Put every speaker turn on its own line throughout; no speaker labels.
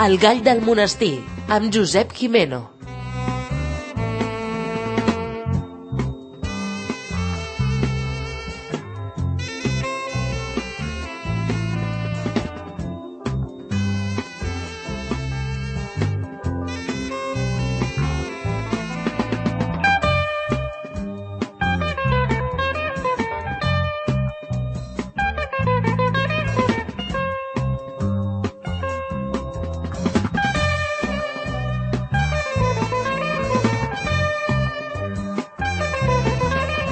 El gall del monestir, amb Josep Gimeno.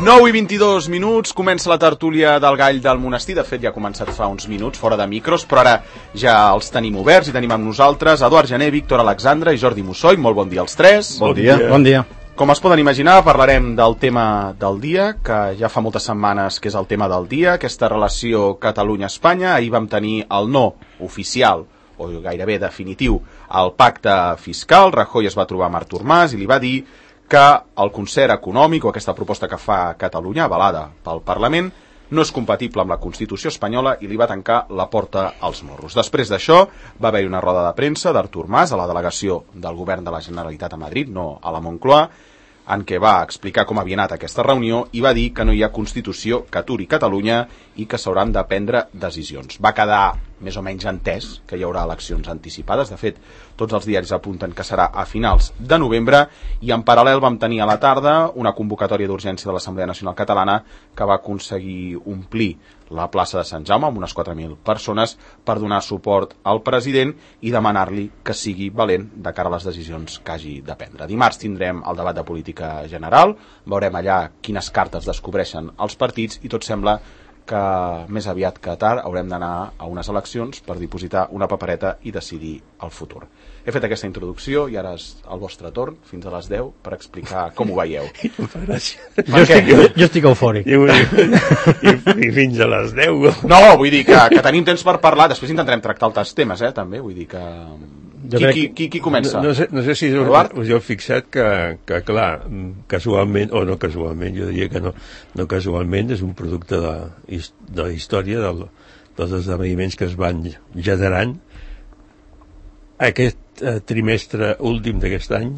Nou i 22 minuts, comença la tertúlia del gall del monestir. De fet, ja ha començat fa uns minuts, fora de micros, però ara ja els tenim oberts i tenim amb nosaltres Eduard Gené, Víctor Alexandra i Jordi Mussoy. Molt bon dia als tres.
Bon dia. Bon dia.
Com es poden imaginar, parlarem del tema del dia, que ja fa moltes setmanes que és el tema del dia, aquesta relació Catalunya-Espanya. Ahir vam tenir el no oficial, o gairebé definitiu, al pacte fiscal. Rajoy es va trobar amb Artur Mas i li va dir que el concert econòmic o aquesta proposta que fa Catalunya, avalada pel Parlament, no és compatible amb la Constitució espanyola i li va tancar la porta als morros. Després d'això va haver-hi una roda de premsa d'Artur Mas a la delegació del govern de la Generalitat a Madrid, no a la Moncloa, en què va explicar com havia anat aquesta reunió i va dir que no hi ha Constitució que aturi Catalunya i que s'hauran de prendre decisions. Va quedar més o menys entès que hi haurà eleccions anticipades. De fet, tots els diaris apunten que serà a finals de novembre i en paral·lel vam tenir a la tarda una convocatòria d'urgència de l'Assemblea Nacional Catalana que va aconseguir omplir la plaça de Sant Jaume amb unes 4.000 persones per donar suport al president i demanar-li que sigui valent de cara a les decisions que hagi de prendre. Dimarts tindrem el debat de política general, veurem allà quines cartes descobreixen els partits i tot sembla que més aviat que tard haurem d'anar a unes eleccions per dipositar una papereta i decidir el futur. He fet aquesta introducció i ara és el vostre torn, fins a les 10, per explicar com ho veieu.
Jo estic eufòric.
I fins a les 10.
No, vull dir que tenim temps per parlar, després intentarem tractar altres temes, també, vull dir que... Qui comença?
No sé si us heu fixat que clar, casualment, o no casualment, jo diria que no casualment, és un producte de la història dels esdeveniments que es van generant. Aquest trimestre últim d'aquest any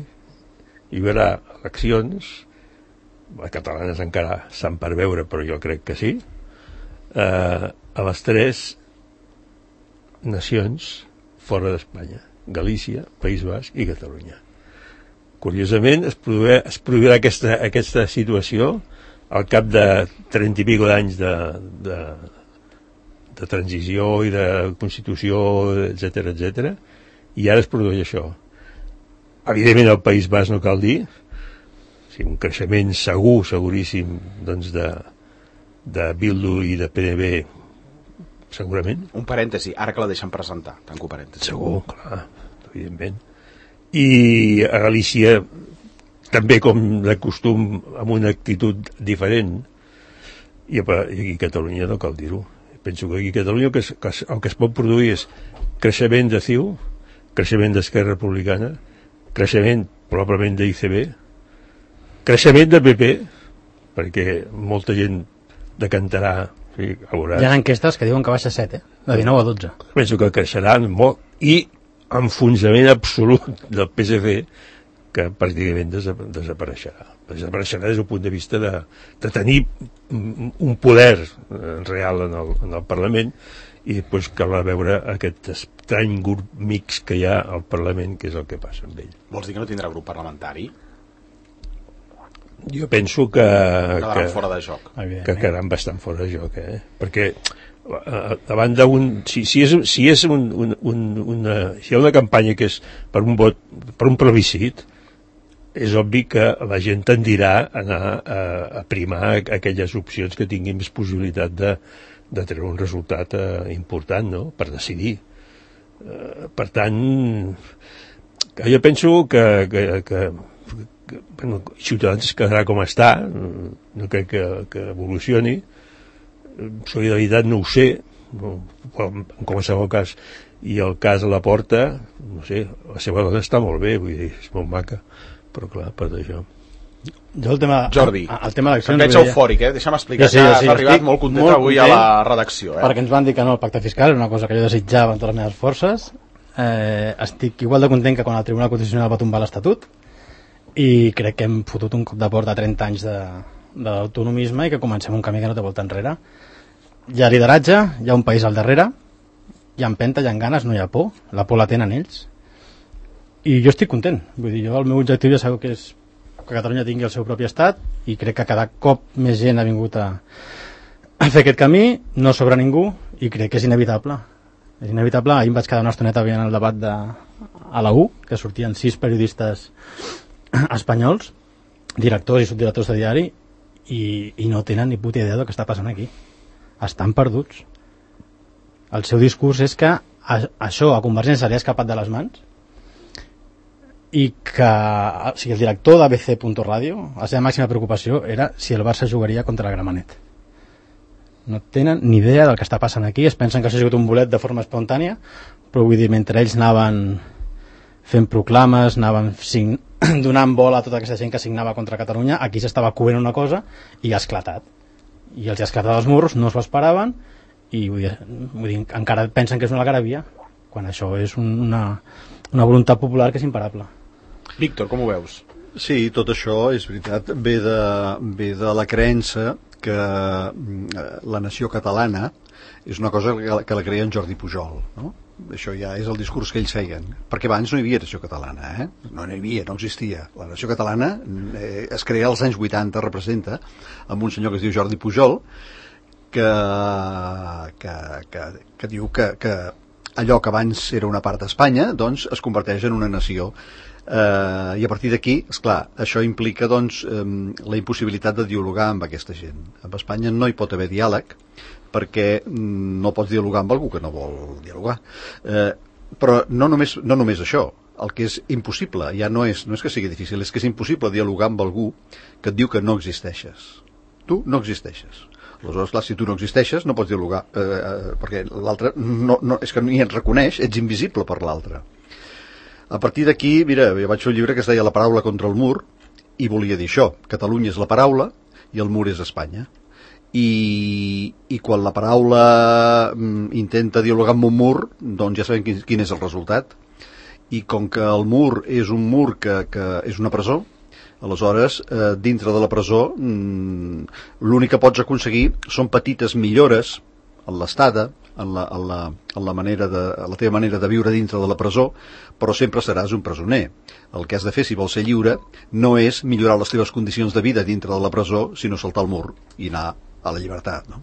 hi haurà eleccions, les catalanes encara s'han per veure, però jo crec que sí, a les 3 nacions fora d'Espanya: Galícia, País Basc i Catalunya. Curiosament, es produirà aquesta situació al cap de 30 i pico d'anys de transició i de constitució, etc, i ara es produeix això. Evidentment, al País Basc no cal dir, un creixement seguríssim, doncs, de Bildu i de PNB, segurament.
Un parèntesi, ara que la deixen presentar, tanco parèntesi.
Segur, clar, evidentment. I a Galícia, també com de costum, amb una actitud diferent, i aquí a Catalunya no cal dir-ho. Penso que aquí a Catalunya el que es pot produir és creixement de CiU, creixement d'Esquerra Republicana, creixement probablement d'ICB, creixement de PP, perquè molta gent decantarà. Sí,
hi ha enquestes que diuen que baixa 7, de 19 a 12.
Penso que creixeran molt, i enfonsament absolut del PSC, que pràcticament desapareixerà. Desapareixerà des del punt de vista de tenir un poder real en el Parlament, i després cal veure aquest estrany grup mix que hi ha al Parlament, que és el que passa amb ell.
Vols dir que no tindrà grup parlamentari?
Jo penso que
quedaran fora de joc.
Que quedaran bastant fora de joc, perquè davant d'un... Si hi ha una campanya que és per un vot, per un plebiscit, és obvi que la gent tendirà a anar a primar aquelles opcions que tinguin més possibilitat de treure un resultat important, no?, per decidir. Per tant, jo penso que Ciutadans es quedarà com està, no crec que evolucioni. Solidaritat no ho sé, en qualsevol cas, i el cas de la Porta, no sé, la seva dona està molt bé, vull dir, és molt maca, però clar, per això.
Jordi, perquè ets eufòric, deixa'm explicar que has arribat molt content avui a la redacció.
Perquè ens van dir que no al pacte fiscal, és una cosa que jo desitjava amb totes les meves forces, estic igual de content que quan el Tribunal Constitucional va tombar l'Estatut, i crec que hem fotut un cop de porta a 30 anys d'autonomisme i que comencem un camí que no té volta enrere. Hi ha lideratge, hi ha un país al darrere, hi ha empenta, hi ha ganes, no hi ha por, la por la tenen ells, i jo estic content. Vull dir, jo el meu objectiu ja sabeu que és que Catalunya tingui el seu propi estat, i crec que cada cop més gent ha vingut a fer aquest camí, no sobra ningú, i crec que és inevitable. És inevitable. Ahir em vaig quedar una estoneta veient el debat a la U, que sortien 6 periodistes espanyols, directors i subdirectors de diari, i no tenen ni puta idea del que està passant aquí. Estan perduts. El seu discurs és que això a Convergència li ha escapat de les mans, i que o sigui, el director d'ABC.radio, la seva màxima preocupació era si el Barça jugaria contra el Gramenet. No tenen ni idea del que està passant aquí, es pensen que s'ha jugat un bolet de forma espontània, però vull dir, mentre ells anaven fent proclames, anaven donant bola a tota aquesta gent que signava contra Catalunya, aquí s'estava coent una cosa i ha esclatat. I els ha esclatat els morros, no s'ho esperaven, i vull dir, encara pensen que és una algarabia, quan això és una voluntat popular que és imparable.
Víctor, com ho veus?
Sí, tot això és veritat, ve de la creença que la nació catalana és una cosa que la creia en Jordi Pujol, no? Això ja és el discurs que ells feien, perquè abans no hi havia nació catalana, no hi havia, no existia. La nació catalana es crea als anys 80, representa, amb un senyor que es diu Jordi Pujol, que diu que allò que abans era una part d'Espanya, doncs es converteix en una nació. I a partir d'aquí, esclar, això implica doncs la impossibilitat de dialogar amb aquesta gent. Amb Espanya no hi pot haver diàleg, perquè no pots dialogar amb algú que no vol dialogar. Però no només això, el que és impossible, ja no és que sigui difícil, és que és impossible dialogar amb algú que et diu que no existeixes. Tu no existeixes. Aleshores, clar, si tu no existeixes no pots dialogar, perquè l'altre és que ni et reconeix, ets invisible per l'altre. A partir d'aquí, mira, jo vaig fer un llibre que es deia La paraula contra el mur, i volia dir això: Catalunya és la paraula i el mur és Espanya. I quan la paraula intenta dialogar amb un mur, doncs ja sabem quin és el resultat. I com que el mur és un mur que és una presó, aleshores, dintre de la presó, l'únic que pots aconseguir són petites millores en l'estada, en la teva manera de viure dintre de la presó, però sempre seràs un presoner. El que has de fer, si vols ser lliure, no és millorar les teves condicions de vida dintre de la presó, sinó saltar el mur i anar a la llibertat, no?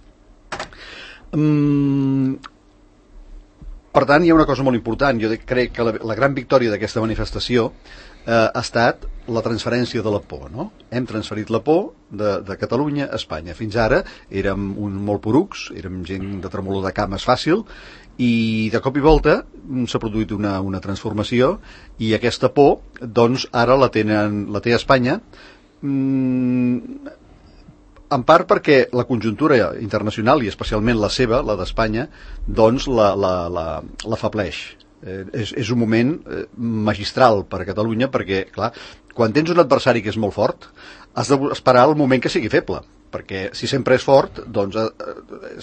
Per tant, hi ha una cosa molt important. Jo crec que la gran victòria d'aquesta manifestació ha estat la transferència de la por, no? Hem transferit la por de Catalunya a Espanya. Fins ara érem molt porucs, érem gent de tremolor de cames fàcil, i de cop i volta s'ha produït una transformació, i aquesta por, doncs, ara la té Espanya, en part perquè la conjuntura internacional, i especialment la seva, la d'Espanya, doncs l'afableix. És un moment magistral per a Catalunya, perquè, clar, quan tens un adversari que és molt fort, has d'esperar el moment que sigui feble, perquè si sempre és fort, doncs,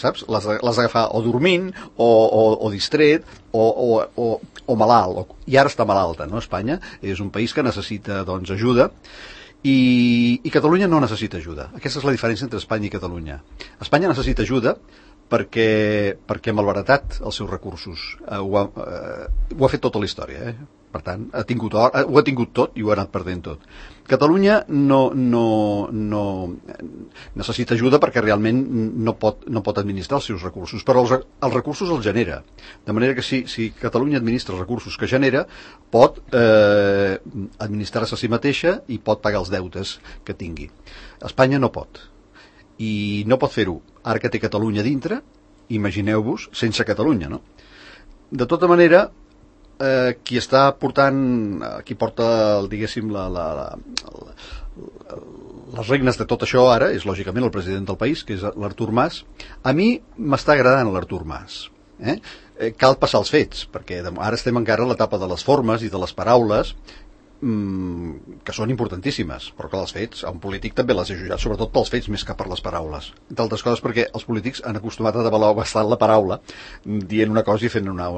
saps, l'has d'agafar o dormint, o distret, o malalt, i ara està malalta, no? Espanya és un país que necessita, doncs, ajuda, i Catalunya no necessita ajuda. Aquesta és la diferència entre Espanya i Catalunya. Espanya necessita ajuda perquè ha malbaratat els seus recursos. Ho ha fet tota la història, Per tant, ho ha tingut tot i ho ha anat perdent tot. Catalunya no necessita ajuda perquè realment no pot administrar els seus recursos, però els recursos els genera. De manera que si Catalunya administra els recursos que genera, pot administrar-se a si mateixa i pot pagar els deutes que tingui. Espanya no pot. I no pot fer-ho. Ara que té Catalunya dintre, imagineu-vos sense Catalunya, no? De tota manera, qui porta, diguéssim, les regnes de tot això ara és lògicament el president del país, que és l'Artur Mas. A mi m'està agradant l'Artur Mas. Cal passar els fets, perquè ara estem encara a l'etapa de les formes i de les paraules, que són importantíssimes, però que els fets, a un polític també les he jutjat, sobretot pels fets més que per les paraules. Entre altres coses perquè els polítics han acostumat a devaluar bastant la paraula, dient una cosa i fent una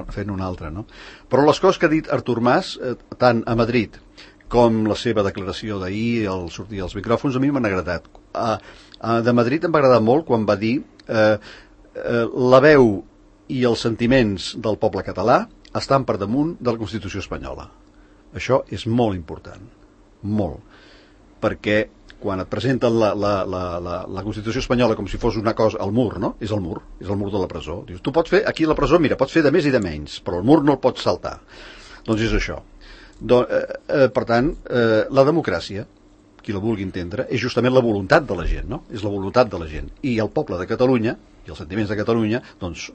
altra, no? Però les coses que ha dit Artur Mas, tant a Madrid com la seva declaració d'ahir al sortir als micròfons, a mi m'han agradat. De Madrid em va agradar molt quan va dir la veu i els sentiments del poble català estan per damunt de la Constitució espanyola. Això és molt important, molt, perquè quan et presenten la Constitució espanyola com si fos una cosa, el mur, no? És el mur de la presó. Dius, tu pots fer, aquí a la presó, mira, pots fer de més i de menys, però el mur no el pots saltar. Doncs és això. Per tant, la democràcia, qui la vulgui entendre, és justament la voluntat de la gent, no? És la voluntat de la gent. I el poble de Catalunya, i els sentiments de Catalunya, doncs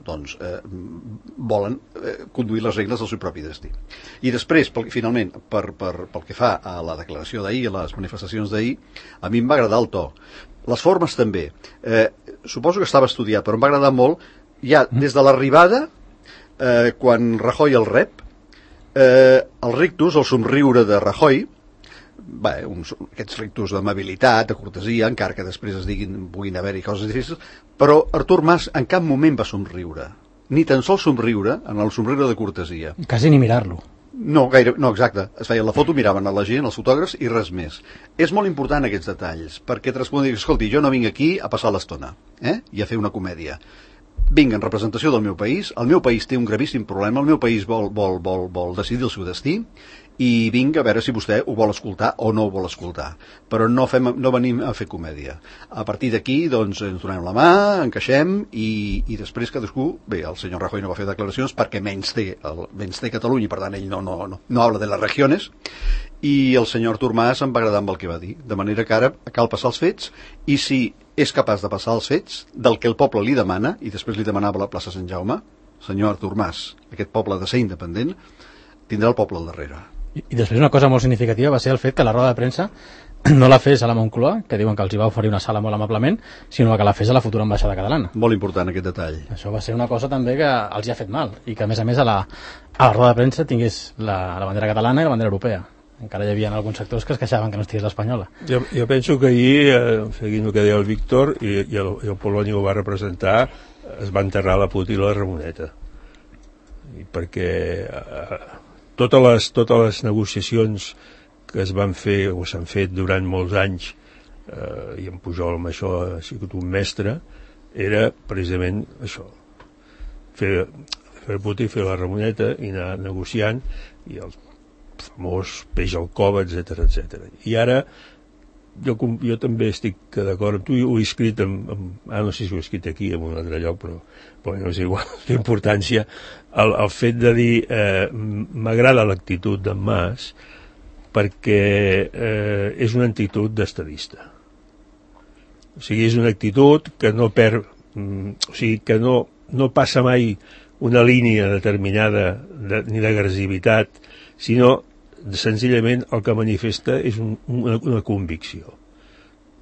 volen conduir les regles del seu propi destí. I després, finalment, pel que fa a la declaració d'ahir, a les manifestacions d'ahir, a mi em va agradar el to. Les formes també. Suposo que estava estudiat, però em va agradar molt, ja des de l'arribada, quan Rajoy el rep, el rictus, el somriure de Rajoy, aquests rictus d'amabilitat, de cortesia, encara que després puguin haver-hi coses difícils, però Artur Mas en cap moment va somriure, ni tan sols somriure, en el somriure de cortesia.
Quasi ni mirar-lo.
No, exacte. Es feia la foto, miraven a la gent, els fotògrafs i res més. És molt important aquests detalls, perquè et respon, escolti, jo no vinc aquí a passar l'estona, i a fer una comèdia. Vinc en representació del meu país, el meu país té un gravíssim problema, el meu país vol decidir el seu destí, i vinc a veure si vostè ho vol escoltar o no ho vol escoltar, però no venim a fer comèdia. A partir d'aquí doncs ens donem la mà, encaixem i després cadascú, bé, el senyor Rajoy no va fer declaracions perquè menys té Catalunya i per tant ell no habla de les regiones, i el senyor Artur Mas em va agradar amb el que va dir, de manera que ara cal passar els fets, i si és capaç de passar els fets del que el poble li demana, i després li demanava a la plaça Sant Jaume, senyor Artur Mas, aquest poble de ser independent tindrà el poble al darrere.
I després una cosa molt significativa va ser el fet que la roda de premsa no la fes a la Moncloa, que diuen que els hi va oferir una sala molt amablement, sinó que la fes a la futura ambaixada catalana.
Molt important aquest detall.
Això va ser una cosa també que els hi ha fet mal, i que a més a la roda de premsa tingués la bandera catalana i la bandera europea. Encara hi havia alguns sectors que es queixaven que no estigués l'espanyola.
Jo penso que ahir, seguint el que deia el Víctor, i el Poloni ho va representar, es va enterrar la puta i la Ramoneta. Perquè totes les negociacions que es van fer o s'han fet durant molts anys, i en Pujol amb això ha sigut un mestre, era precisament això, fer puta i fer la Ramoneta i anar negociant, i el famós peix al cova, etc. I ara jo també estic d'acord amb tu, ho he escrit no sé si ho he escrit aquí en un altre lloc, però no és igual l'importància, el fet de dir m'agrada l'actitud d'en Mas perquè és una actitud d'estadista, o sigui, és una actitud que no perd, o sigui, que no passa mai una línia determinada ni d'agressivitat, sinó senzillament el que manifesta és una convicció,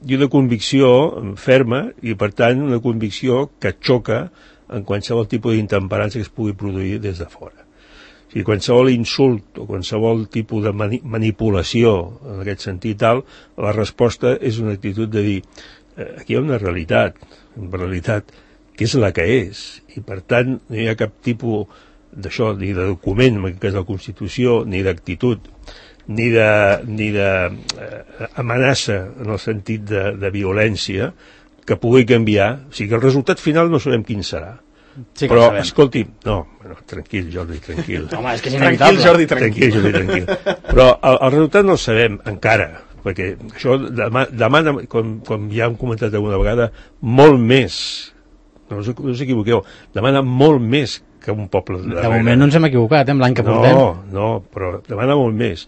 i una convicció ferma, i per tant una convicció que xoca en qualsevol tipus d'intemperància que es pugui produir des de fora. O sigui, qualsevol insult o qualsevol tipus de manipulació en aquest sentit tal, la resposta és una actitud de dir aquí hi ha una realitat que és la que és, i per tant no hi ha cap tipus d'això, ni de document, que és la Constitució, ni d'actitud, ni d'amenaça en el sentit de violència que pugui canviar. O sigui que el resultat final no sabem quin serà. Sí, però, escolti, tranquil, Jordi, tranquil.
Home, és que és inevitable.
Tranquil, Jordi, tranquil.
Però el resultat no el sabem encara, perquè això demana, com ja hem comentat alguna vegada, molt més, no us equivoqueu, demana molt més que un poble de darrere.
De moment no ens hem equivocat, amb l'any que portem.
No, però demana molt més.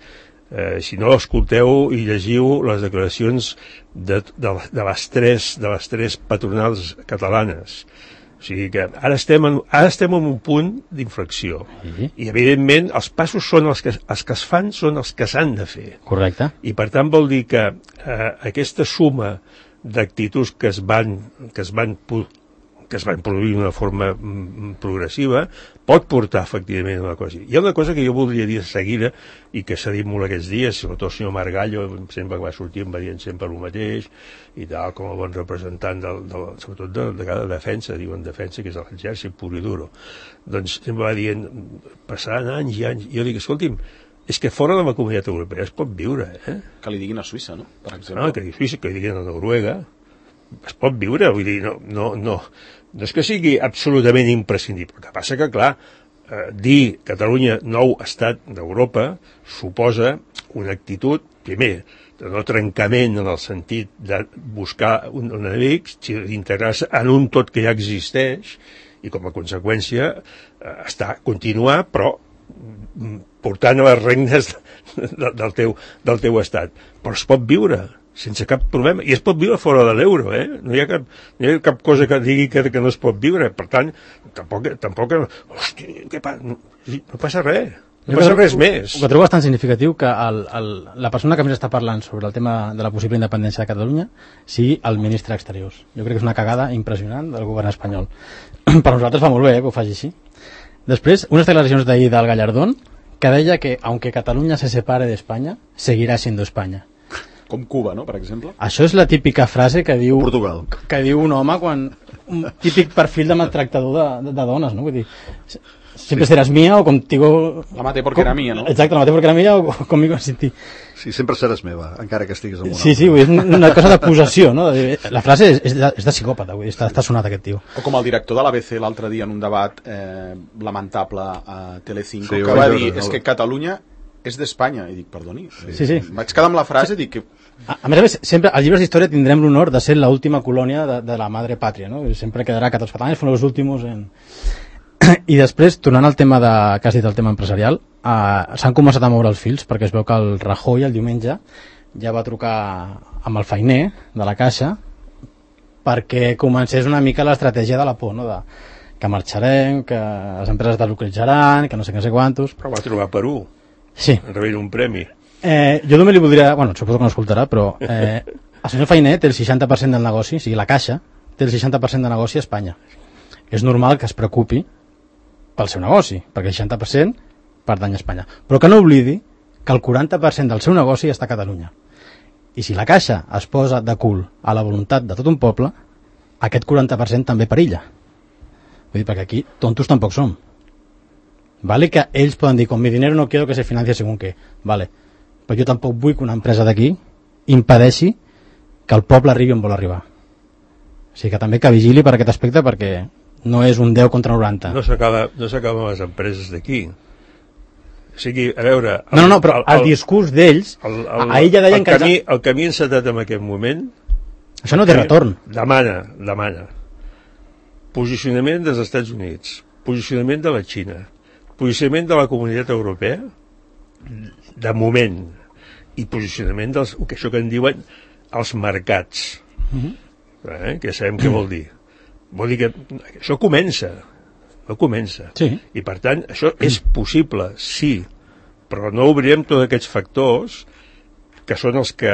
Si no, escolteu i llegiu les declaracions de les tres patronals catalanes. O sigui que ara estem en un punt d'inflexió. I evidentment els passos són els que es fan, són els que s'han de fer.
Correcte.
I per tant vol dir que aquesta suma d'actituds que es van que es van produir d'una forma progressiva, pot portar efectivament a una cosa. Hi ha una cosa que jo voldria dir de seguida i que s'ha dit molt aquests dies, sobretot el senyor Margallo sempre que va sortir em va dient sempre el mateix i tal, com a bon representant sobretot de cada defensa, diuen defensa, que és l'exèrcit pur i duro, doncs sempre va dient, passaran anys i anys, i jo dic, escolti'm, és que fora de la Comunitat Europea es pot viure, eh?
Que li diguin a Suïssa, no? Per exemple.
No, que li Suïssa, que li diguin a Noruega, es pot viure, vull dir, no és que sigui absolutament imprescindible. El que passa que, clar, dir Catalunya nou estat d'Europa suposa una actitud, primer, de no trencament en el sentit de buscar un enemic, sinó d'integrar-se en un tot que ja existeix i com a conseqüència continuar, però portant a les regnes del teu estat. Però es pot viure sense cap problema, i es pot viure fora de l'euro, no hi ha cap cosa que digui que no es pot viure. Per tant, tampoc hòstia, què passa? No passa res, no passa res més.
Ho que trobo bastant significatiu que la persona que més està parlant sobre el tema de la possible independència de Catalunya sigui el ministre d'Exteriors. Jo crec que és una cagada impressionant del govern espanyol. Per nosaltres fa molt bé que ho faci així. Després, unes declaracions d'ahir del Gallardón que deia que, aunque Catalunya se separe d'Espanya, seguirà siendo Espanya.
Com Cuba, no?, per exemple.
Això és la típica frase que diu,
Portugal.
Que diu un home quan... Un típic perfil de maltractador de dones, no? Vull dir, siempre seràs mía o contigo...
La mate porque era mía, no?
Exacte, la mate porque era mía o conmigo sin ti.
Sí, sempre seràs meva, encara que estiguis en una...
Sí, vull dir, és una cosa de possessió, no? La frase és de psicòpata, vull dir, està sonat aquest tio.
O com el director de l'ABC l'altre dia en un debat lamentable a Telecinco,
sí,
que va dir, és que Catalunya és d'Espanya. I dic, perdoni.
Sí.
Vaig quedar amb la frase i dic que...
A més, sempre als llibres d'història tindrem l'honor de ser l'última colònia de la madre pàtria, no? Sempre quedarà que els catalans són els últims en... I després, tornant al tema que has dit, el tema empresarial, s'han començat a moure els fils perquè es veu que el Rajoy el diumenge ja va trucar amb el feiner de la Caixa perquè comencés una mica l'estratègia de la por, no? Que marxarem, que les empreses deslocalitzaran, que no sé quantos...
Però va trobar Perú.
Sí.
Rebent un premi.
Jo només li voldria... Bueno, suposo que no escoltarà, però el senyor Feiner té el 60% del negoci, o sigui, la Caixa té el 60% de negoci a Espanya. És normal que es preocupi pel seu negoci, perquè el 60% pertany a Espanya. Però que no oblidi que el 40% del seu negoci està a Catalunya. I si la Caixa es posa de cul a la voluntat de tot un poble, aquest 40% també perilla. Vull dir, perquè aquí tontos tampoc som. Vale que ells poden dir, con mi dinero no quiero que se financie según qué. Vale. Però jo tampoc vull que una empresa d'aquí impedeixi que el poble arribi on vol arribar. O sigui que també que vigili per aquest aspecte, perquè no és un 10 contra 90.
No s'acaben les empreses d'aquí. O sigui, a veure...
No, però el discurs d'ells, ahir ja deien que...
El camí encetat en aquest moment...
Això no té retorn.
Demana. Posicionament dels Estats Units, posicionament de la Xina, posicionament de la Comunitat Europea, de moment, i posicionament dels, que això que en diuen els mercats, que sabem què vol dir. Vol dir que això comença,
sí.
I per tant això és possible, sí, però no obrirem tots aquests factors que són els que,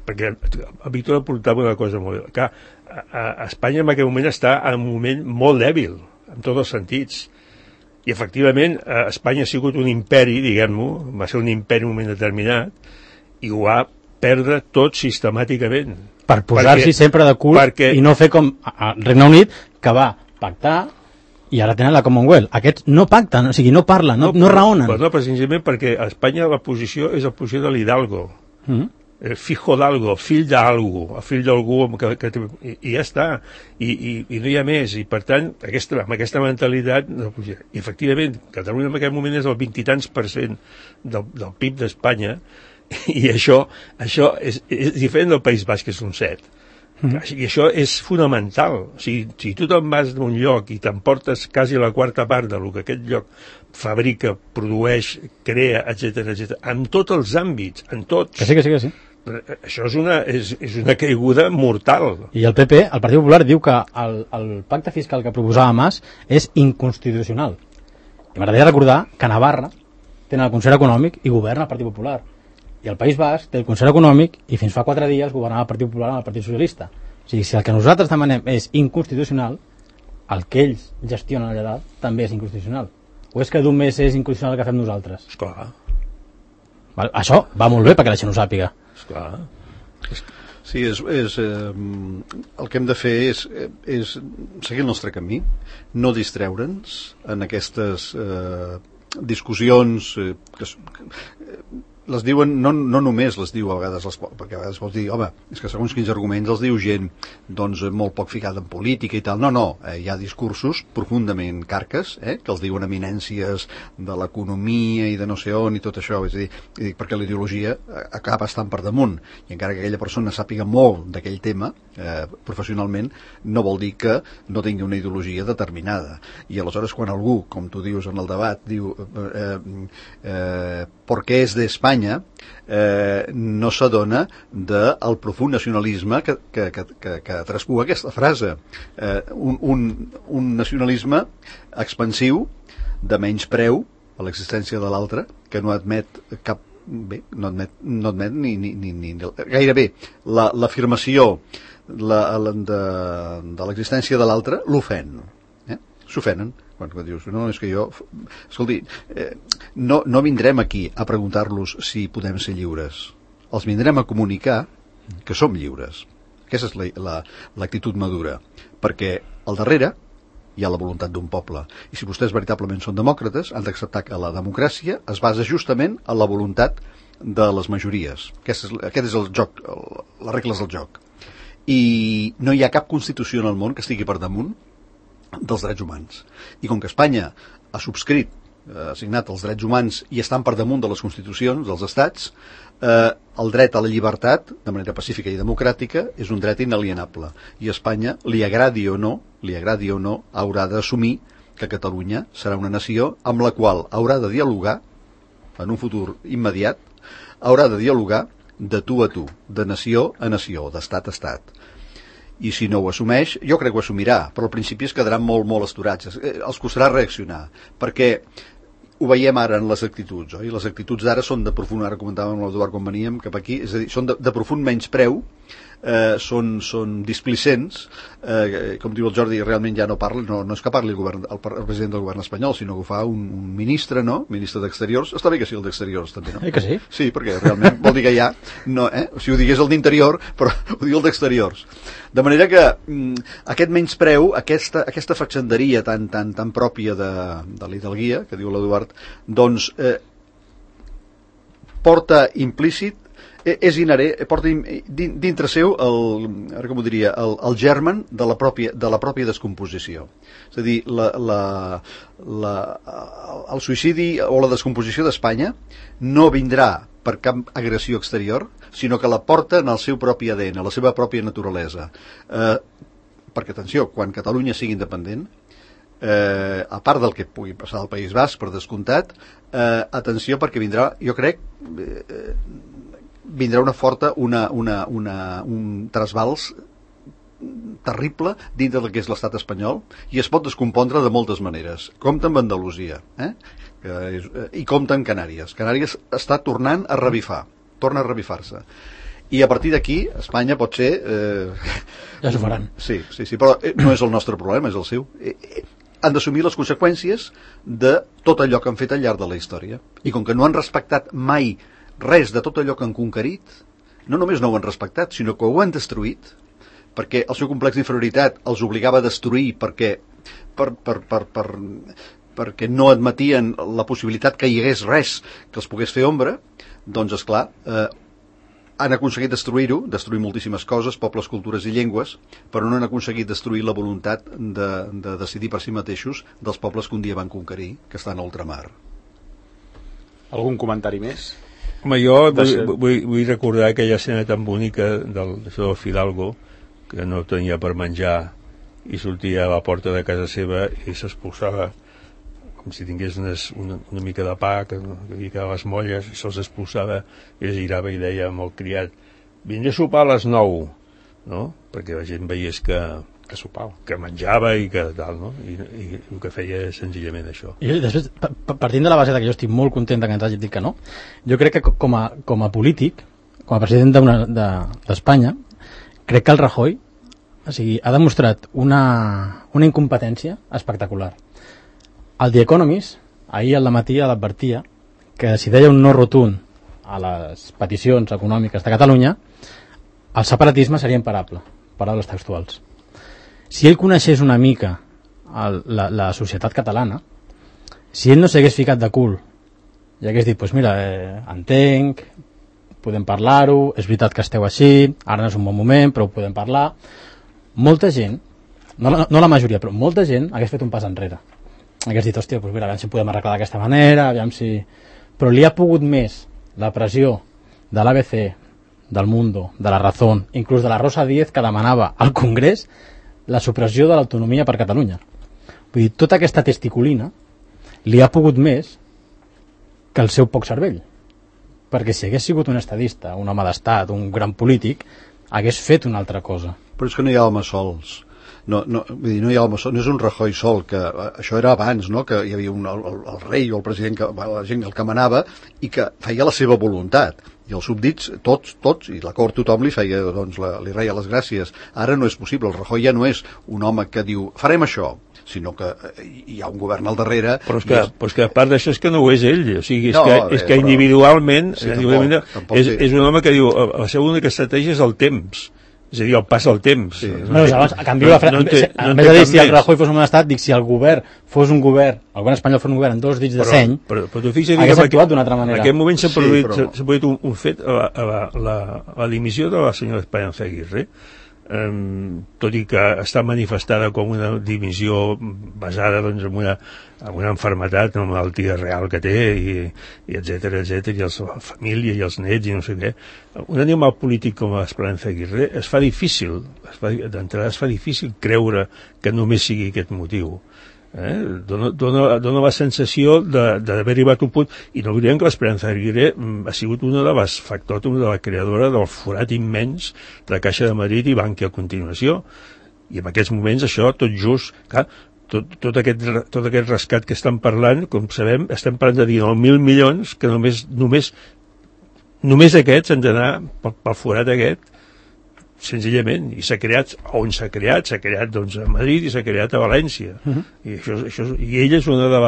perquè el Víctor apuntava una cosa molt... Que a Espanya en aquest moment està en un moment molt dèbil, en tots els sentits. I efectivament Espanya ha sigut un imperi, diguem-ho, va ser un imperi en un moment determinat i ho va perdre tot sistemàticament.
Per posar-s'hi sempre de cul i no fer com el Regne Unit, que va pactar i ara tenen la Commonwealth. Aquests no pacten, o sigui, no parlen, no raonen.
No, precisament perquè a Espanya la posició és la posició de l'Hidalgo. El fijo d'algo, fill d'algú, fill d'algú i ja està, i no hi ha més, i per tant amb aquesta mentalitat i efectivament Catalunya en aquest moment és el 20 i tants % del PIB d'Espanya, i això és diferent del País Basc, que és un 7. I això és fonamental. O sigui, si tu te'n vas d'un lloc i t'emportes quasi la quarta part del que aquest lloc fabrica, produeix, crea, etc., en tots els àmbits, en tots.
Que sí.
Això és una caiguda mortal.
I el PP, el Partit Popular, diu que el pacte fiscal que proposava Mas és inconstitucional. I m'agradaria recordar que a Navarra tenen el Consell Econòmic i governa el Partit Popular. I el País Basc té el Consell Econòmic i fins fa 4 dies governava el Partit Popular amb el Partit Socialista. O sigui, si el que nosaltres demanem és inconstitucional, el que ells gestionen allà dalt també és inconstitucional? O és que només és inconstitucional el que fem nosaltres?
Esclar.
Això va molt bé perquè la gent ho sàpiga.
Esclar.
Sí, el que hem de fer és seguir el nostre camí, no distreure'ns en aquestes discussions que les diuen, no només les diu a vegades, perquè a vegades vols dir, home, és que segons quins arguments els diu gent doncs molt poc ficada en política i tal. No, hi ha discursos profundament carques, que els diuen eminències de l'economia i de no sé on i tot això, és a dir, perquè la ideologia acaba estant per damunt, i encara que aquella persona sàpiga molt d'aquell tema professionalment, no vol dir que no tingui una ideologia determinada. I aleshores quan algú, com tu dius en el debat, diu ¿por qué es de España? No s'adona del profund nacionalisme que traspua aquesta frase. Un nacionalisme expansiu de menys preu a l'existència de l'altre, que no admet cap... Bé, no admet ni gairebé l'afirmació de l'existència de l'altre l'ofèn. S'ofenen. Quan dius, no, és que jo... Escolti, no vindrem aquí a preguntar-los si podem ser lliures. Els vindrem a comunicar que som lliures. Aquesta és l'actitud madura. Perquè al darrere hi ha la voluntat d'un poble. I si vostès veritablement són demòcrates, han d'acceptar que la democràcia es basa justament en la voluntat de les majories. Aquest és el joc, les regles del joc. I no hi ha cap constitució en el món que estigui per damunt dels drets humans. I com que Espanya ha subscrit, ha signat els drets humans i estan per damunt de les constitucions dels estats, el dret a la llibertat, de manera pacífica i democràtica, és un dret inalienable. I Espanya, li agradi o no, haurà d'assumir que Catalunya serà una nació amb la qual haurà de dialogar, en un futur immediat, haurà de dialogar de tu a tu, de nació a nació, d'estat a estat. I si no ho assumeix, jo crec que ho assumirà, però al principi es quedaran molt, molt esturats. Els costarà reaccionar, perquè ho veiem ara en les actituds, oi? Les actituds d'ara són de profund, ara comentàvem amb l'Eduard quan veníem cap aquí, és a dir, són de profund menyspreu, són displicents, com diu el Jordi, realment ja no parla, no és que parli el president del govern espanyol, sinó que ho fa un ministre, no? Ministre d'Exteriors. Està bé que sigui el d'Exteriors, també, no?
Que sí?
Sí, perquè realment vol dir que ja, no, si ho digués el d'Interior, però ho diu el d'Exteriors. De manera que aquest menyspreu, aquesta fatxenderia tan pròpia de l'hidalguia, que diu l'Eduard, doncs porta implícit, és inherent, porta dintre seu ara com ho diria, el germen de la pròpia descomposició. És a dir, el suïcidi o la descomposició d'Espanya no vindrà per cap agressió exterior, sinó que la porta en el seu propi ADN, la seva pròpia naturalesa. Perquè, atenció, quan Catalunya sigui independent, a part del que pugui passar al País Basc, per descomptat, atenció, perquè vindrà, jo crec, vindrà un trasbals terrible dintre del que és l'estat espanyol i es pot descompondre de moltes maneres. Compte amb Andalusia, i compte amb Canàries. Canàries està tornant a revifar, torna a revifar-se. I a partir d'aquí, Espanya pot ser...
Ja s'ho faran.
Sí, però no és el nostre problema, és el seu. Han d'assumir les conseqüències de tot allò que han fet al llarg de la història. I com que no han respectat mai res de tot allò que han conquerit, no només no ho han respectat, sinó que ho han destruït, perquè el seu complex d'inferioritat els obligava a destruir perquè no admetien la possibilitat que hi hagués res que els pogués fer ombra. Doncs, esclar, han aconseguit destruir-ho, destruir moltíssimes coses, pobles, cultures i llengües, però no han aconseguit destruir la voluntat de decidir per si mateixos dels pobles que un dia van conquerir, que estan a ultramar.
Algun comentari més?
Home, jo vull recordar aquella escena tan bonica del Fidalgo, que no tenia per menjar i sortia a la porta de casa seva i s'expulsava com si tingués una mica de pa que hi quedava les molles, i se'ls expulsava i es girava i deia amb el criat: vindré a sopar a les 9, no? Perquè la gent veiés que sopava, que menjava i que tal, no? I el que feia és senzillament això.
I després, partint de la base que jo estic molt content que ens hagi dit que no, jo crec que com a polític, com a president d'Espanya, crec que el Rajoy O sigui, ha demostrat una incompetència espectacular. El The Economist, ahir al matí l'advertia que si deia un no rotund a les peticions econòmiques de Catalunya, el separatisme seria imparable, paraules textuals. Si ell coneixés una mica la societat catalana, si ell no s'hagués ficat de cul i hagués dit, pues mira, entenc, podem parlar-ho, és veritat que esteu així, ara no és un bon moment, però ho podem parlar. Molta gent, no la majoria, però molta gent hagués fet un pas enrere. Hagués dit, hòstia, pues mira, aviam si podem arreglar d'aquesta manera, aviam si... Però li ha pogut més la pressió de l'ABC, del Mundo, de la Razón, inclús de la Rosa Díez, que demanava al Congrés la supressió de l'autonomia per Catalunya. Vull dir, tota aquesta testiculina li ha pogut més que el seu poc cervell. Perquè si hagués sigut un estadista, un home d'estat, un gran polític, hagués fet una altra cosa.
Però és que no hi ha homes sols. Vull dir, no hi ha homes sols, no és un Rajoy sol, que això era abans, no? Que hi havia el rei o el president, la gent el que manava i que feia la seva voluntat. I els súbdits, tots, i la cort tothom li feia, doncs, li reia les gràcies. Ara no és possible, el Rajoy ja no és un home que diu, farem això, sinó que hi ha un govern al darrere.
Però és que a part d'això és que no ho és ell, o sigui, és que individualment, sí, tampoc és un home que diu, la seva única estratègia és el temps, és a dir, el pas al temps. Sí,
a canvi, en vez de dir si el Rajoy fos un estat, dic si el govern fos un govern, el govern espanyol fos un govern amb 2 dits de seny,
però tu fixa't,
hagués actuat d'una altra manera.
En aquest moment s'ha produït un fet, la dimissió de la senyora Esperanza Aguirre, tot i que està manifestada com una dimissió basada, doncs, en una malaltia, una malaltia real que té, i etcètera, i la família i els nets i no sé què. Un animal polític com l'Esperanza Aguirre d'entrada es fa difícil creure que només sigui aquest motiu. Dona la sensació d'haver arribat a un punt, i no oblidem que l'Esperanza Aguirre ha sigut una de les factòtums de la creadora del forat immens de Caixa de Madrid i Bankia a continuació, i en aquests moments això tot just, clar, tot aquest rescat que estan parlant, com sabem, estem parlant de 19.000 milions que només aquests han d'anar pel forat aquest, senzillament, i s'ha creat on s'ha creat doncs a Madrid i s'ha creat a València. I ella és una de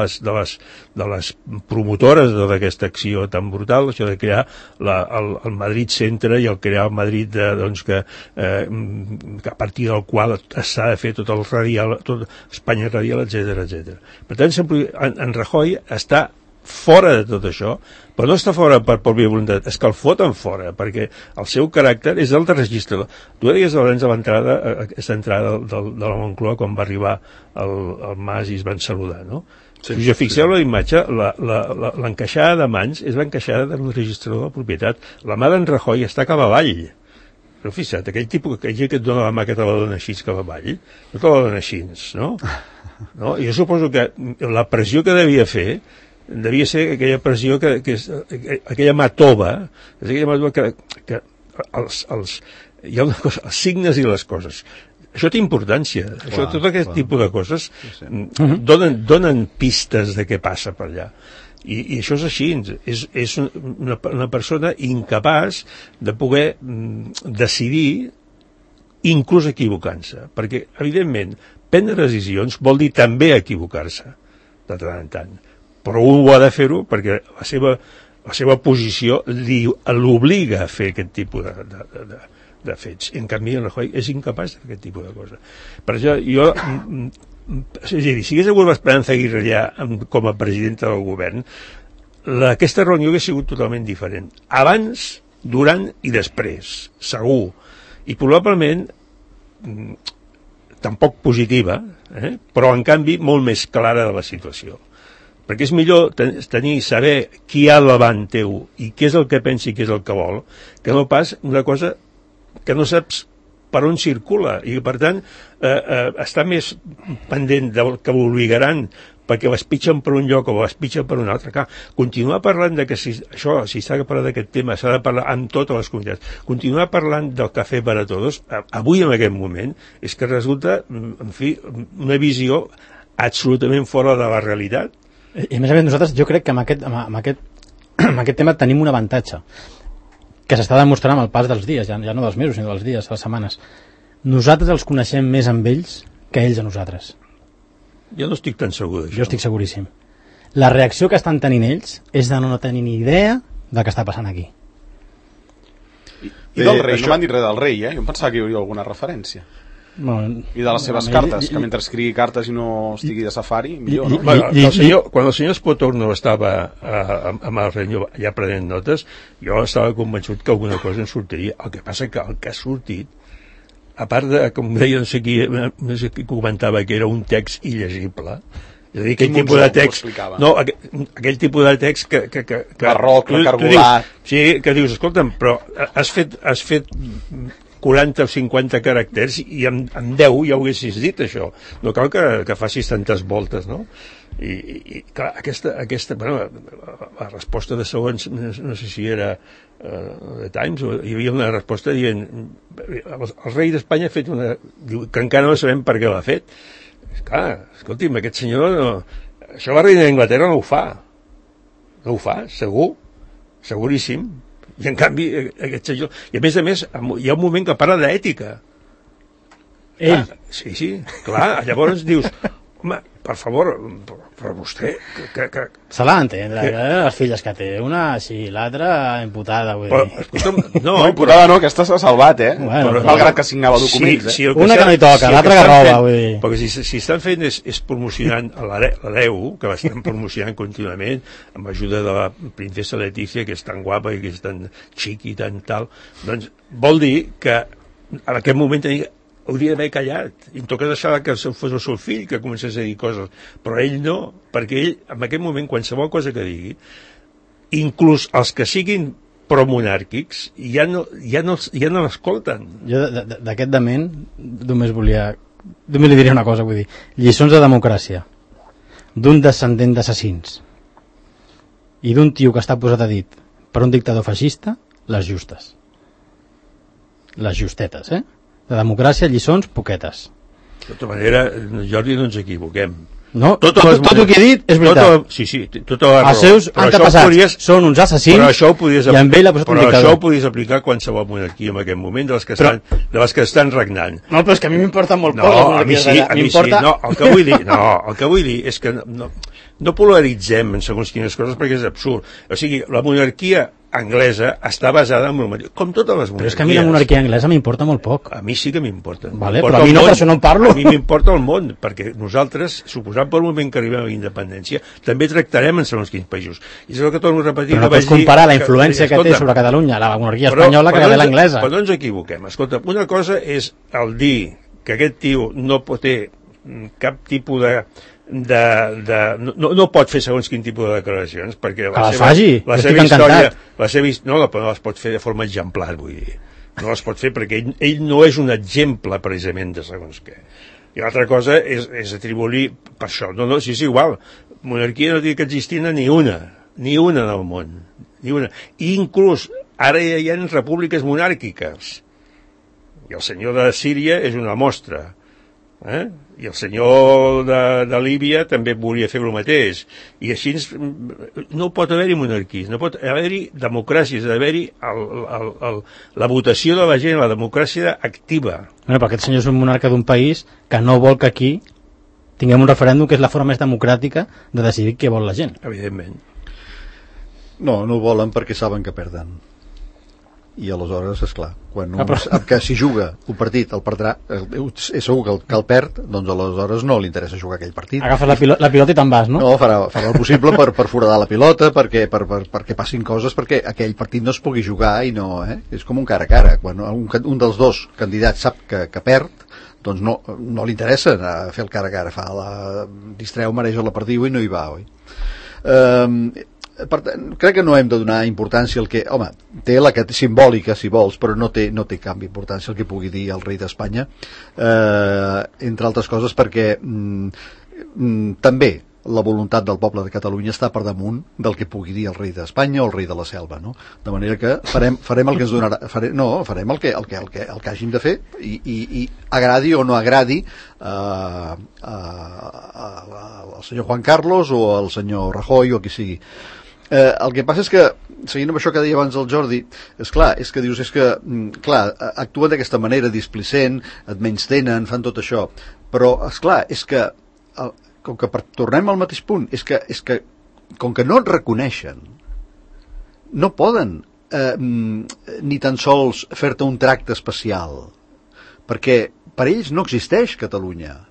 les promotores d'aquesta acció tan brutal, això de crear el Madrid Centre i el crear el Madrid doncs, que a partir del qual s'ha de fer tot el radial, tot Espanya radial, etcètera. Per tant, en Rajoy està fora de tot això, però no està fora per pròpia voluntat, és que el foten fora, perquè el seu caràcter és el de registrador. Tu deies abans de aquesta entrada de la Moncloa quan va arribar el Mas i es van saludar, no? Si us fixeu la imatge, l'encaixada de mans és l'encaixada del registrador de propietat. La mà d'en Rajoy està cap avall. Però fixa't, aquell tipus que et dona la mà que te la dona així cap avall, no te la dona així, no? Jo suposo que la pressió que devia fer devia ser aquella pressió que és aquella mà tova, és aquella mà tova que hi ha una cosa, els signes i les coses, això té importància. Tot aquest tipus de coses donen pistes de què passa per allà, i això és així. És una persona incapaç de poder decidir, inclús equivocant-se, perquè evidentment prendre decisions vol dir també equivocar-se de tant en tant, però un ho ha de fer-ho perquè la seva posició l'obliga a fer aquest tipus de fets. En canvi, en Rajoy és incapaç de fer aquest tipus de cosa. Per això, és a dir, si hagués hagut l'Esperanza Aguirre ja com a presidenta del govern, aquesta reunió hauria sigut totalment diferent. Abans, durant i després, segur. I probablement tampoc positiva, però en canvi molt més clara de la situació. Perquè és millor saber qui hi ha davant teu i què és el que pensa i què és el que vol, que no pas una cosa que no saps per on circula, i per tant està més pendent del que l'obligaran perquè l'espitxen per un lloc o l'espitxen per un altre. Clar, continuar parlant de que si s'ha de parlar d'aquest tema s'ha de parlar amb totes les comunitats, continuar parlant del cafè per a tots, avui en aquest moment, és que resulta, en fi, una visió absolutament fora de la realitat.
I a més nosaltres, jo crec que amb aquest tema tenim un avantatge que s'està demostrant amb el pas dels dies, ja no dels mesos sinó dels dies, les setmanes. nosaltres els coneixem més amb ells que ells a nosaltres.
Jo no estic tan segur d'això.
Jo estic seguríssim. La reacció que estan tenint ells és de no tenir ni idea del que està passant aquí.
I del rei, no m'han dit res del rei, Jo em pensava que hi hauria alguna referència.
Bueno,
I de les seves cartes, que mentre escrigui cartes i no estigui de safari, millor, no?
Bueno, quan el senyor Spotorno estava amb el rei allà prenent notes, jo estava convençut que alguna cosa en sortiria. El que passa que el que ha sortit, a part de, com deia, no sé qui comentava que era un text illegible, és a dir, aquell tipus de text, aquell tipus de text que
barroc, cargolat.
Sí, que dius, escolta'm, però has fet 40 o 50 caràcters i amb 10 ja ho haguessis dit, això. No cal que facis tantes voltes, no? I clar, aquesta bueno, la resposta de segons, no sé si era The Times, o hi havia una resposta dient el rei d'Espanya ha fet una... Diu, que encara no sabem per què l'ha fet. Clar, escolti'm, aquest senyor això la reina d'Anglaterra no ho fa, segur, seguríssim. I en canvi aquest senyor, i a més hi ha un moment que parla d'ètica.
Ell?
Sí, clar, llavors dius, home, per favor, però vostè
se l'ha d'entendre, les filles que té, una així, l'altra imputada, vull dir.
Escolta'm,
no, imputada no, aquesta s'ha salvat,
Bueno,
malgrat que signava documents,
una que no hi toca, l'altra que roba, vull dir.
Perquè si estan fent és promocionant l'hereu, que l'estan promocionant contínuament, amb ajuda de la princesa Letícia, que és tan guapa i que és tan xic i tan tal, doncs vol dir que en aquest moment hauria d'haver callat, i em toca deixar que fos el seu fill que comencés a dir coses, però ell no, perquè ell en aquest moment qualsevol cosa que digui, inclús els que siguin promonàrquics ja no l'escolten.
Jo d'aquest dement només li diria una cosa, vull dir, lliçons de democràcia d'un descendent d'assassins i d'un tio que està posat a dit per un dictador feixista, les justes, les justetes, de democràcia, lliçons, poquetes.
De tota manera, Jordi, no ens equivoquem.
No, tot el que he dit és veritat.
Sí, tota la raó.
Els seus antepassats són uns assassins i amb ell ha posat un dictador.
Però això ho podies aplicar a qualsevol monarquia en aquest moment de les que estan regnant.
No, però és que a mi m'importa molt poc.
No, a mi sí. No, el que vull dir és que no polaritzem en segons quines coses perquè és absurd. O sigui, la monarquia anglesa està basada en monarquia, com totes les monarquies.
Però és que a mi la monarquia anglesa m'importa molt poc.
A mi sí que m'importa.
Vale, però a mi no, per això no en parlo.
A mi m'importa el món, perquè nosaltres, suposant per un moment que arribem a la independència, també tractarem en segons quins països. I és el que torno a repetir.
Però no pots comparar la influència que té sobre Catalunya la monarquia espanyola que la l'anglesa.
Però no ens equivoquem. Escolta, una cosa és el dir que aquest tio no pot ter cap tipus no pot fer segons quin tipus de declaracions perquè la seva història no les pot fer de forma exemplar, vull dir, no les pot fer perquè ell no és un exemple precisament de segons què. I l'altra cosa és atribuir per això, si és igual, monarquia no té que existir ni una en el món, ni una. I inclús ara ja hi ha repúbliques monàrquiques i el senyor de Síria és una mostra, i el senyor de Líbia també volia fer el mateix, i així no pot haver-hi monarquies, no pot haver-hi democràcies, ha d'haver-hi la votació de la gent, la democràcia activa.
Però aquest senyor és un monarca d'un país que no vol que aquí tinguem un referèndum, que és la forma més democràtica de decidir què vol la gent.
Evidentment.
No ho volen perquè saben que perden. I aleshores, esclar, quan que si juga un partit el perdrà, és segur que el perd, doncs aleshores no li interessa jugar aquell partit.
Agafes la pilota i te'n vas, no?
No, farà el possible per foradar la pilota, perquè passin coses, perquè aquell partit no es pugui jugar i no, és com un cara a cara. Quan un dels dos candidats sap que perd, doncs no li interessa anar a fer el cara a cara, distreu, mareja la perdiu i no hi va, oi? Per tant, crec que no hem de donar importància al que, home, té la simbòlica si vols, però no té cap importància el que pugui dir el rei d'Espanya, entre altres coses perquè també la voluntat del poble de Catalunya està per damunt del que pugui dir el rei d'Espanya o el rei de la selva, no? De manera que farem el que ens donarà, farem el que hàgim de fer i agradi o no agradi al senyor Juan Carlos o al senyor Rajoy o qui sigui. El que passa és que seguint amb això que deia abans el Jordi, és que dius, actuen d'aquesta manera displicent, et menystenen, fan tot això, però, és que com que tornem al mateix punt, és que com que no et reconeixen, no poden ni tan sols fer-te un tracte especial, perquè per ells no existeix Catalunya.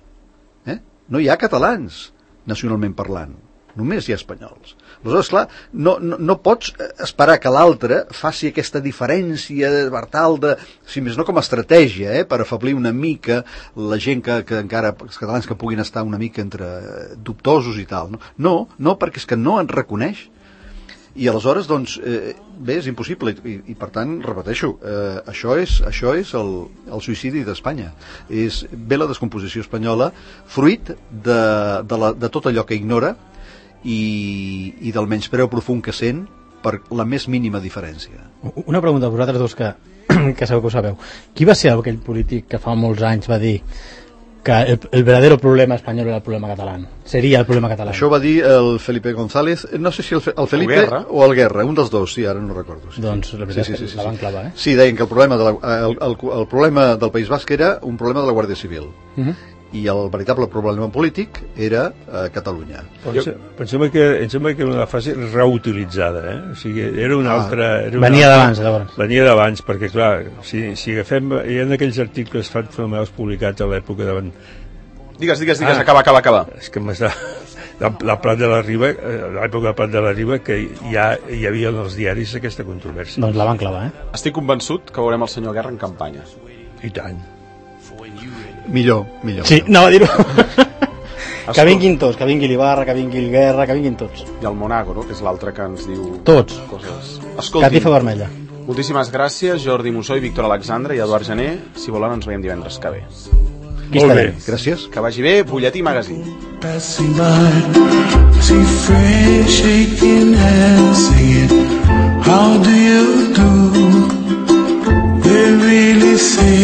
No hi ha catalans, nacionalment parlant. Només hi ha espanyols. Aleshores, clar, no pots esperar que l'altre faci aquesta diferència per tal de, si més no com a estratègia, per afeblir una mica la gent que encara, els catalans que puguin estar una mica entre dubtosos i tal. No, perquè és que no en reconeix. I aleshores, doncs, bé, és impossible i per tant, repeteixo, això és el suïcidi d'Espanya. És bé la descomposició espanyola, fruit de tot allò que ignora i del menyspreu profund que sent per la més mínima diferència.
Una pregunta a vosaltres dos que sabeu que ho sabeu. Qui va ser aquell polític que fa molts anys va dir que el verdadero problema espanyol era el problema català? Seria el problema català.
Això va dir el Felipe González, no sé si el Felipe o el Guerra, un dels dos, sí, ara no recordo. Sí.
Doncs la veritat és que la van clavar,
Sí, deien que el problema del País Basc era un problema de la Guàrdia Civil. I el veritable problema polític era Catalunya.
Pensem que era una fase reutilitzada, o sigui, era una altra...
Venia d'abans, llavors.
Venia d'abans, perquè clar, si agafem... Hi ha aquells articles fameux publicats a l'època de...
Digues, acaba.
És que m'està... La Prat de la Riba, l'època de Prat de la Riba, que ja hi havia en els diaris aquesta controvèrsia.
Doncs la van clavar,
Estic convençut que veurem el senyor Guerra en campanya.
I tant.
Millor.
Sí, anava a dir-ho. Que vinguin tots, que vingui l'Ibarra, que vingui el Guerra, que vinguin tots.
I el Monago, no?, que és l'altre que ens diu...
Tots.
Coses.
Catifa vermella.
Moltíssimes gràcies, Jordi Mussó i Víctor Alexandre i Eduard Gené. Si volen, ens veiem divendres que ve.
Molt bé.
Gràcies.
Que vagi bé, Butlletí Magazine.
Passing by, see friends shaking hands, singing, how do you do? They really say